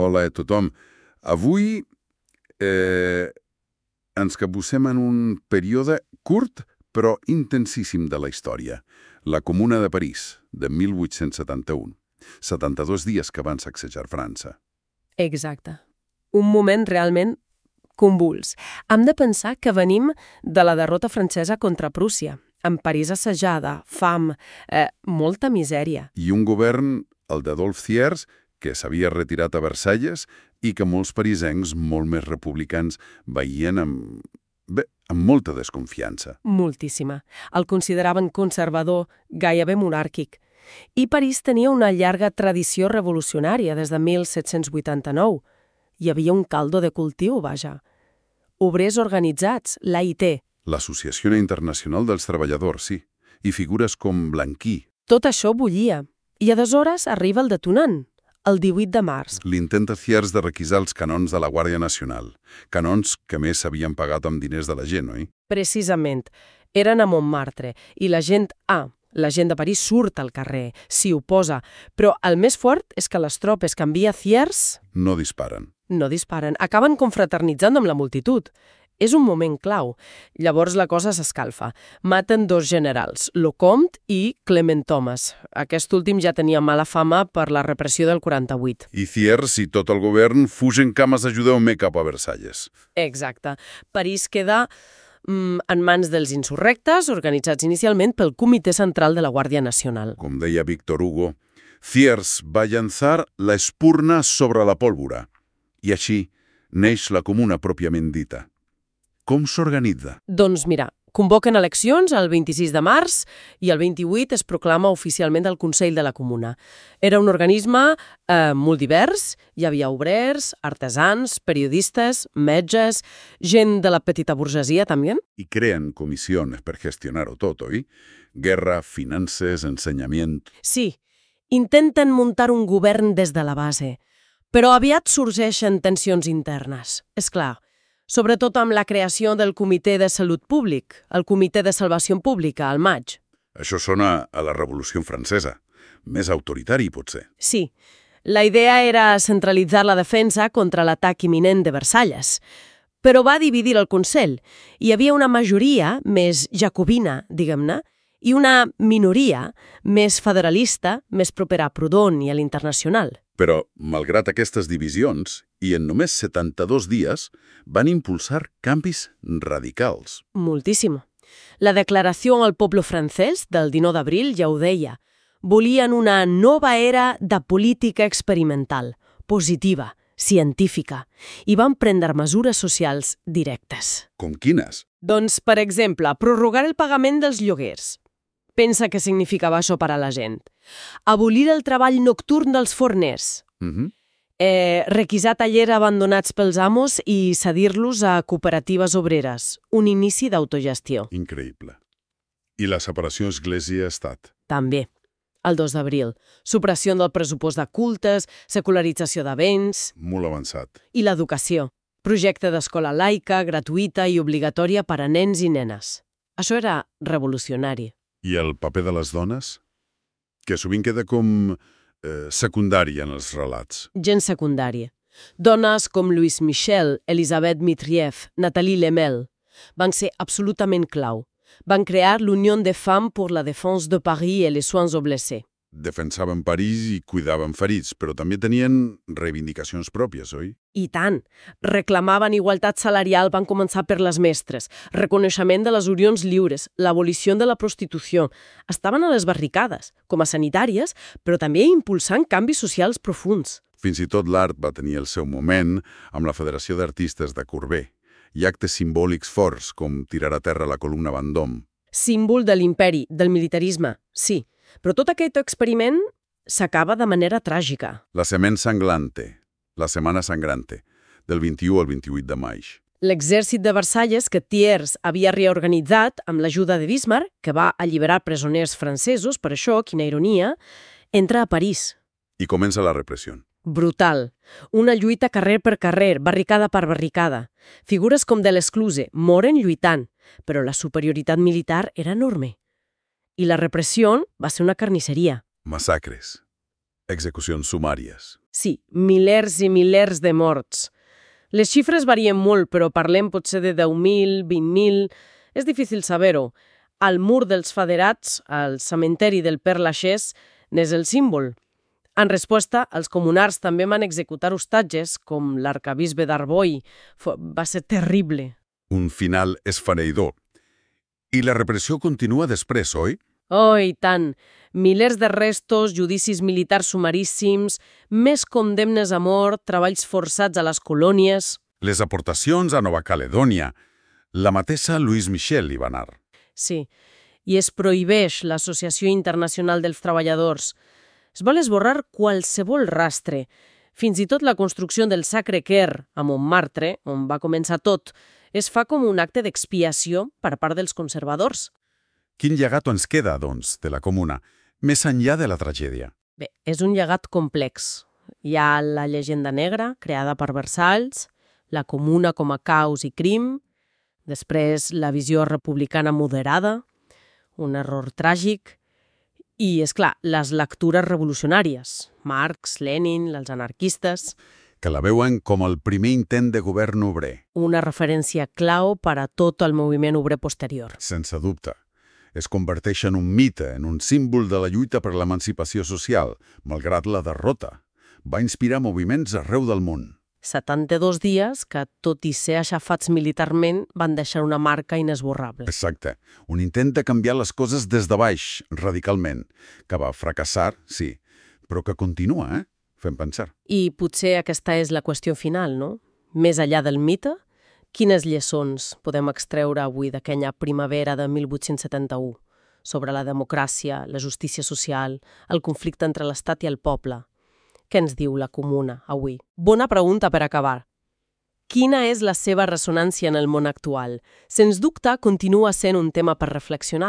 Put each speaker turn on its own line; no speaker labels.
hola a tothom. Avui ens capbussem en un període curt però intensíssim de la història. La Comuna de París, de 1871. 72 dies que van sacsejar França.
Exacte. Un moment realment convuls. Hem de pensar que venim de la derrota francesa contra Prússia, amb París assajada, fam, molta misèria.
I un govern, el d'Adolphe Thiers, que s'havia retirat a Versalles i que molts parisencs, molt més republicans, veien amb molta desconfiança.
Moltíssima. El consideraven conservador, gairebé monàrquic. I París tenia una llarga tradició revolucionària des de 1789. Hi havia un caldo de cultiu, vaja. Obrers organitzats, l'AIT.
L'Associació Internacional dels Treballadors, sí. I figures com Blanqui.
Tot això bullia. I aleshores arriba el detonant, el 18 de març.
L'intent de Thiers de requisar els canons de la Guàrdia Nacional. Canons que més s'havien pagat amb diners de la gent, oi?
Precisament. Eren a Montmartre. I la gent de París surt al carrer, s'hi oposa. Però el més fort és que les tropes que envia Thiers
no disparen.
No disparen. Acaben confraternitzant amb la multitud. És un moment clau. Llavors la cosa s'escalfa. Maten dos generals, Lecomte i Clement Thomas. Aquest últim ja tenia mala fama per la repressió del 48.
I Thiers i tot el govern fugen cames a ajudar-me cap a Versalles.
Exacte. París queda en mans dels insurrectes, organitzats inicialment pel Comitè Central de la Guàrdia Nacional.
Com deia Victor Hugo, Thiers va llançar la espurna sobre la pólvora. I així neix la Comuna pròpiament dita. Com s'organitza?
Doncs mira, convoquen eleccions el 26 de març i el 28 es proclama oficialment el Consell de la Comuna. Era un organisme molt divers, hi havia obrers, artesans, periodistes, metges, gent de la petita burgesia també.
I creen comissions per gestionar-ho tot, oi? Guerra, finances, ensenyament...
Sí, intenten muntar un govern des de la base, però aviat sorgeixen tensions internes, és clar. Sobretot amb la creació del Comitè de Salut Públic, el Comitè de Salvació Pública, al maig.
Això sona a la Revolució Francesa. Més autoritari, potser.
Sí. La idea era centralitzar la defensa contra l'atac imminent de Versalles. Però va dividir el Consell. Hi havia una majoria més jacobina, diguem-ne, i una minoria més federalista, més propera a Proudhon i a l'Internacional.
Però, malgrat aquestes divisions, i en només 72 dies, van impulsar canvis radicals.
Moltíssim. La Declaració al Poble Francès del 19 d'abril ja ho deia. Volien una nova era de política experimental, positiva, científica, i van prendre mesures socials directes.
Com quines?
Doncs, per exemple, prorrogar el pagament dels lloguers. Pensa què significava això per a la gent. Abolir el treball nocturn dels forners. Requisar tallers abandonats pels amos i cedir-los a cooperatives obreres. Un inici d'autogestió.
Increïble. I la separació Església-Estat?
També. El 2 d'abril. Supressió del pressupost de cultes, secularització de béns...
Molt avançat.
I l'educació. Projecte d'escola laica, gratuïta i obligatòria per a nens i nenes. Això era revolucionari.
I el paper de les dones? Que sovint queda com secundari en els relats.
Gent secundària. Dones com Louise Michel, Elisabeth Mitrieff, Nathalie Lemel van ser absolutament clau. Van crear l'Unió de Femmes pour la Défense de Paris et les Soins aux Blessés.
Defensaven París i cuidaven ferits, però també tenien reivindicacions pròpies, oi?
I tant. Reclamaven igualtat salarial, van començar per les mestres, reconeixement de les unions lliures, l'abolició de la prostitució. Estaven a les barricades, com a sanitàries, però també impulsant canvis socials profuns.
Fins i tot l'art va tenir el seu moment amb la Federació d'Artistes de Courbet i actes simbòlics forts, com tirar a terra la columna Vendôme.
Símbol de l'imperi, del militarisme, sí. Però tot aquest experiment s'acaba de manera tràgica.
La Semaine Sanglante, la Setmana Sangrante, del 21 al 28 de maig.
L'exèrcit de Versalles, que Thiers havia reorganitzat amb l'ajuda de Bismarck, que va alliberar presoners francesos, per això, quina ironia, entra a París.
I comença la repressió.
Brutal. Una lluita carrer per carrer, barricada per barricada. Figures com de l'Escluse moren lluitant, però la superioritat militar era enorme. I la repressió va ser una carnisseria.
Massacres. Execucions sumàries.
Sí, milers i milers de morts. Les xifres varien molt, però parlem potser de 10.000, 20.000... És difícil saber-ho. Al mur dels Faderats, al cementeri del Père Lachaise, n'és el símbol. En resposta, els comunars també van executar hostatges, com l'arcabisbe d'Arboy. Va ser terrible.
Un final esfereïdor. I la repressió continua després, oi?
Oh, i tant! Milers de restos, judicis militars sumaríssims, més condemnes a mort, treballs forçats a les colònies...
Les aportacions a Nova Caledònia. La mateixa Louise Michel hi va anar.
Sí, i es prohibeix l'Associació Internacional dels Treballadors. Es vol esborrar qualsevol rastre. Fins i tot la construcció del Sacre Cœur a Montmartre, on va començar tot, es fa com un acte d'expiació per part dels conservadors.
Quin llegat ens queda, doncs, de la Comuna, més enllà de la tragèdia?
Bé, és un llegat complex. Hi ha la llegenda negra, creada per Versalles, la Comuna com a caos i crim, després la visió republicana moderada, un error tràgic, i, és clar, les lectures revolucionàries, Marx, Lenin, els anarquistes...
Que la veuen com el primer intent de govern obrer.
Una referència clau per a tot el moviment obrer posterior.
Sense dubte. Es converteix en un mite, en un símbol de la lluita per l'emancipació social, malgrat la derrota. Va inspirar moviments arreu del món.
72 dies que, tot i ser aixafats militarment, van deixar una marca inesborrable.
Exacte. Un intent de canviar les coses des de baix, radicalment, que va fracassar, sí, però que continua, fem pensar.
I potser aquesta és la qüestió final, no? Més enllà del mite, quines lliçons podem extreure avui d'aquella primavera de 1871 sobre la democràcia, la justícia social, el conflicte entre l'Estat i el poble? Què ens diu la Comuna avui? Bona pregunta per acabar. Quina és la seva ressonància en el món actual? Sens dubte, continua sent un tema per reflexionar.